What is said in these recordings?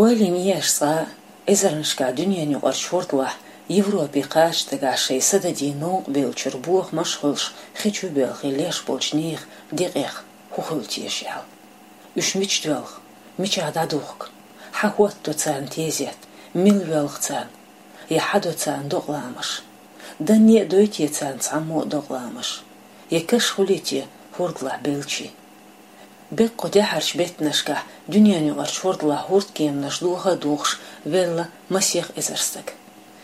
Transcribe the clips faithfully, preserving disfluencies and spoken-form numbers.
Ойла йина еш цкъа а, эзарнашкахь дуьненаюкъарчу хӀордалахь Европе кхача дагахь шайн са дадийна новкъа бевллачуьра бохамаш а хуьлуш, хи чу боьлхий леш болчу нехан декъех хӀун хуьлу теша аьлла. Уьш мича доьлху, мичахь дӀадухку, хьан хӀоттадо царна тезет, мила воьлху царна, я хьан до царна докъаламаш? Данне а дой те царна цхьаммо а докъаламаш? Я каш хуьлий те хӀордалахь беллачийн? Беккъа кху тӀаьхьарчу беттанашкахь дуьненаюкъарчу хӀордалахь хӀордкеманаш доха а дохуш велла масех эзар стаг.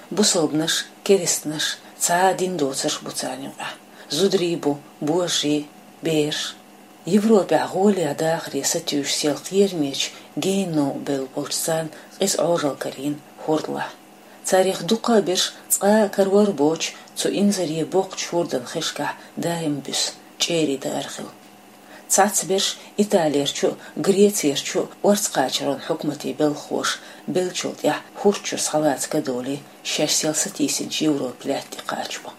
Бусалбанаш, керстанаш, цхьа а дин доцурш бу царна юкъахь. Зударий бу, божарий, бераш. Европехь гӀоле дахаре сатуьйсуш сел кхерамечу генна новкъа бевлла болчу царна къиза Ӏожалла карийна хӀордалахь. Царах дуккха а берш цкъа а карор а боцуш, цу инзаре боккхачу хӀордан хишкахь даим буьсу, чӀерий даар хилла. Цхьацца берш Италерчу а, Грецерчу а орца кхачаран хьукматийн белхахоша беллачул тӀаьхьа хӀорда чуьра схьалаца ка долий, шаьш сел сатийсинчу Европан лаьтта тӀе кхачабо.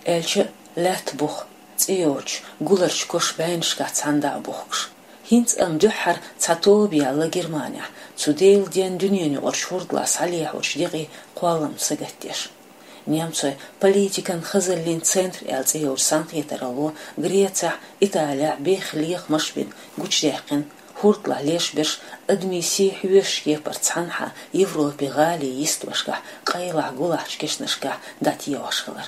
Аьлча а, лаьтта буха, цӀе йоцуш, гуларчу кошан бӀеннашкахь цхьаьна дӀа а бухкуш. ХӀинца амма дуьххьара цхьа тоба яьлла Германехь, цу Делан денна дуьненаюкъарчу хӀордалахь схьалехьочу декъийн кхолламца сагатдеш. Немцойн политикан хазаллин центр аьлла цӀе йолчу цхьаьнакхетаралло Грецехь, Италехь бехха лехамаш а бина гучудаьккхина, хӀордалахь леш берш адамийн сий хьоьшучу кепара цхьанхьа Европин гӀалин йистошкахь къайлахь гулахьчу кешнашкахь дӀатехаш хилар.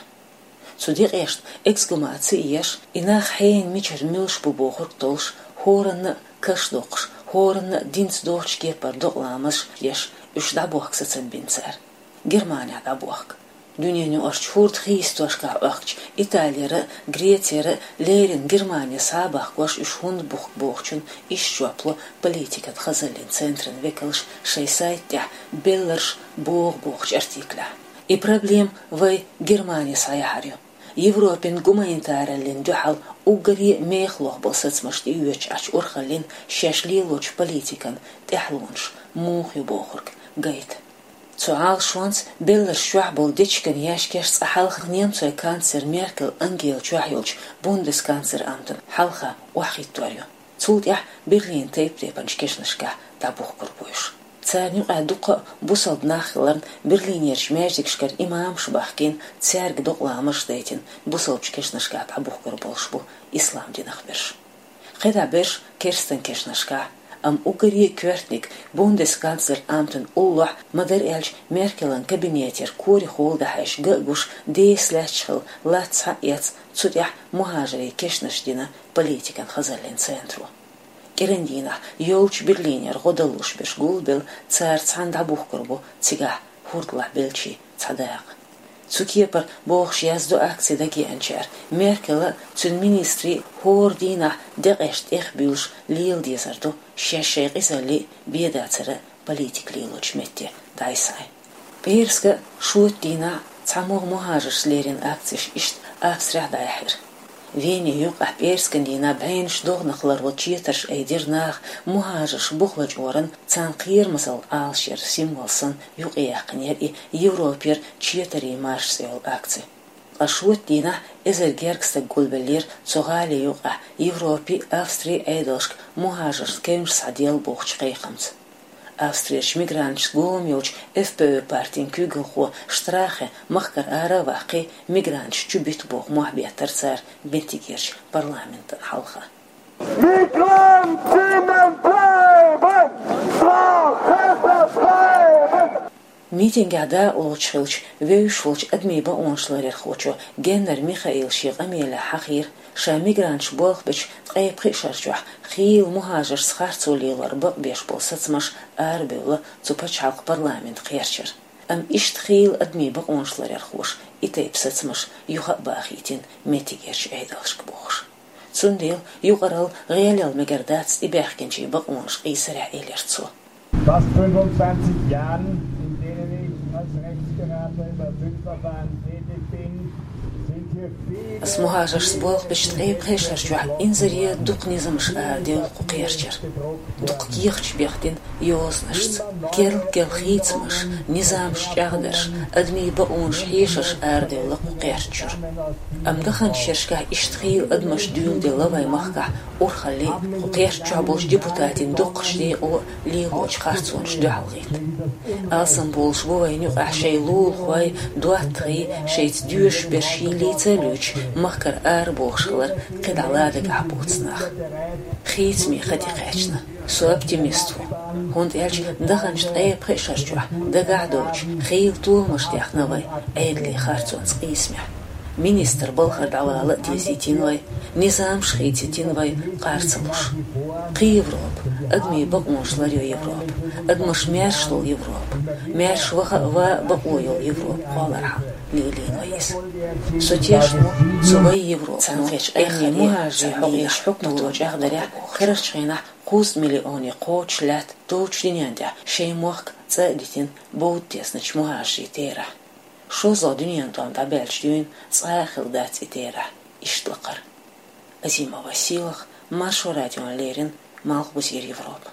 Цу декъешна эксгумаци а еш, и нах хьенан мичара муьлш бу бохург а толлуш, хӀоранна а каш доккхуш, хӀоранна а динца доцучу кепара докъаламаш а еш, уьш дӀабохка сацам бина цара. Германехь дӀабохка. Дуьненаюкъарчу хӀордан хи йистошкахь Ӏохкучу Италера а, Грецера а леррина Германе схьа а бахкош уьш хӀунда бухку бохучунна иштта жоп ло политикан хазаллин центран векалша шайн сайта тӀехь «Белларш богӀу» бохучу артиклехь. И проблема вай Германе схьаяхьар ю. Европин гуманитараллин дуьхьал уггаре а мехалох болу сацамаш тӀеоьцуш Ӏачу урхаллин шаьш лелочу политикан тӀаьхьалонаш муха ю бохург гайта. Цу Ӏалашонца белларш чохь болу дечиган яьшкеш цкъа хьалха немцойн канцлер Меркель Ангела чохь йолчу бундесканцлер амтана хьалха охьахӀиттор ю. Цул тӀаьхьа Берлинан тайп-тайпанчу кешнашкахь дӀабухкур бу уьш. Царна юкъахь дуккха а бусалба нах хиларна, Берлинерчу маьждигашкара имамаш а бахкийна, цаьрга докъаламаш а дайтина, бусалбачу кешнашкахь дӀабухкур болуш бу ислам динах берш. КхидӀа берш керстан кешнашкахь, амма уггаре а коьртаниг бундесканцлер амтан уллохь, ма-дарра аьлча, Меркелан кабинетера корехула дӀахьаьжча ган а гуш, деса лаьтташ хилла латта схьа а эцна, цу тӀехь мухӀажарийн кешнаш дина политикан хазаллин центро. КӀиран дийнахь йолчу Берлинера гӀо далуш берш гулбелла, цара цхьаьна дӀабухкур бу цигахь хӀордалахь беллачийн цхьа дакъа. Цу кепара бохуш яздо акци дагеанчара, Меркела а, цуьнан министрийн а хӀора дийнахь декъешна тӀехбуьйлуш лела дезар ду шаьш шайн къизаллий а, бен дацара а политика лелочу метте дӀасхьайна. ПӀераска а, шоьтан дийнахь а цхьамогӀа мухӀажаршца леррина акцеш иштта Австрехь дӀаяьхьира. Вене юккъехь пӀераскан дийнахь бӀеннаш догӀанах ларло четарш айдира наха мухӀажарш буха лачкъоран, царна кхерамазалла Ӏалашъяран символ санна юкъаяьккхина яра и Европера четарийн марш цӀе йолу акци. Ткъа шоьтан дийнахь эзар гергга стаг гулбеллера цу гӀали юккъехь Европин а, Австрин а Ӏедалшка мухӀажаршна кевнаш схьаделла бохучу кхайкхамца. Австрерчу мигранташца гома йолчу Ф П Ө партин куьйгалхо Штрахе махкара ара а ваккхий, мигранташ чубита боху мохь беттара цара меттигерчу парламентана хьалха. Migrantinnen bleiben! Strache bleiben! Митингехь дакъалоцуш хиллачу вевзаш волчу адамийн бакъонаш ларъярхочо Геннер Михаила шен къамелехь хьахийра, ша мигранташ болх бечу ткъе пхи шар чохь хийла мухӀажаршца харцо лелор бакъбеш болу сацамаш арабевлла цу пачхьалкхан парламент кхерчара. Амма иштта хийла адамийн бакъонаш ларъярхоша и тайпа сацамаш юха а бахийтина меттигерчу Ӏедалшка бохуш. Цундела юкъаралла гӀелъяла мегар дац тӀебаьхкинчийн бакъонаш къийсарехь, элира цо. Fast fünfundzwanzig Jahren, in denen ich als Rechtsberater über Asylverfahren tätig bin, sind Ас мухӀажаршца болх бечу ткъе пхи шарчохь инзаре дукха низамаш арадевлла кху кхерчара. Дукха кехаташ бехна йозанашца, керл-керла хийцамаш, низамаш чӀагӀдарш, адамийн бакъонаш хьешарш арадевлла кху кхерчара. Амма даханчу шерашкахь иштта хийла адамаш дуьйладелла вайн махкахь урхалле а, кху кхерчахь болчу депутатийн доккхачу декъо а лелочу харцонаш дуьхьалгӀетта. Алсам болуш бу вайна юкъахь шайн лулахой, доттагӀий, шайца доьшуш берш йиллийца а луьйчу, махкара арабохуш хилар кхидӀа ладагахь боцу нах. Хийцаме хан тӀекхаьчна. Со оптимист ву, хӀунда аьлча даханчу ткъе пхи шарчохь дагахь а доцуш хийла толамаш дехна вай Ӏедалан харцонца къийсамехь. Министр балхара дӀавала а дезийтина вай, низамаш хийцийтина вай къар ца луш. Кхин Европа, адамийн бакъонаш ларъйо Европа, адамаш маьрша долу Европа, маьрша ваха а, ван а бакъо йолу Европа кхоллархьама лелийна вай иза. Со тешна ву цу вай Европа, царна кхечу къаьмнийн мухӀажарийн хьокъехь хьукмато чӀагӀдарехь, кхерарчу хенахь кхузткъа миллионе кхочуш лаьтта долчу дуьнен тӀехь шайн мохк цӀа а дитина бовда тесначу мухӀажарийн терахь. ШозлагӀа дуьненан тӀом дӀабаьлча дуьйна цкъа а хилла дац и терахь, иштта лакхара. Азимова Сийлаха, Маршо радиона леррина, Малхбузера Европа.